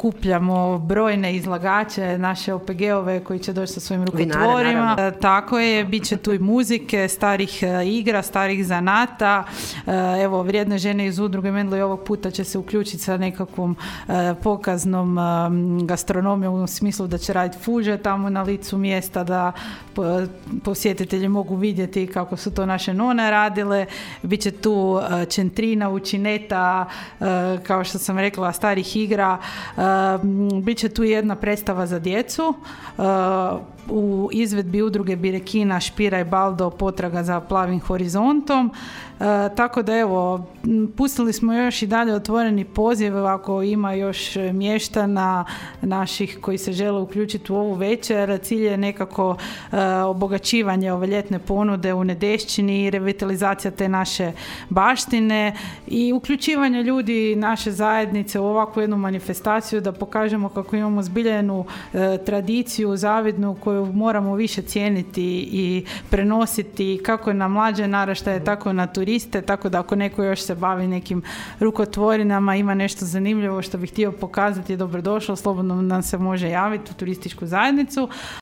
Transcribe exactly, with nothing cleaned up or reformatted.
Kupljamo brojne izlagače, naše O P G-ove koji će doći sa svojim rukotvorima. Vinare, tako je, bit će tu i muzike, starih igra, starih zanata. Evo, vrijedne žene iz udruge Mendlo i ovog puta će se uključiti sa nekakvom pokaznom gastronomijom u smislu da će raditi fuže tamo na licu mjesta, da posjetitelji mogu vidjeti kako su to naše none radile. Biće tu čentrina, učineta, kao što sam rekla, starih igra. Uh, Biće tu jedna predstava za djecu uh, u izvedbi udruge Birekina Špira i Baldo potraga za plavim horizontom. Uh, tako da evo, pustili smo još i dalje otvoreni poziv ako ima još mještana naših koji se žele uključiti u ovu večer. Cilj je nekako uh, obogaćivanje ove ljetne ponude u Nedešćini i revitalizacija te naše baštine i uključivanje ljudi naše zajednice u ovakvu jednu manifestaciju da pokažemo kako imamo zbiljenu e, tradiciju zavidnu koju moramo više cijeniti i prenositi kako na mlađe naraštaje, tako na turiste, tako da ako neko još se bavi nekim rukotvorinama, ima nešto zanimljivo što bi htio pokazati, je dobrodošao, slobodno nam se može javiti u turističku zajednicu.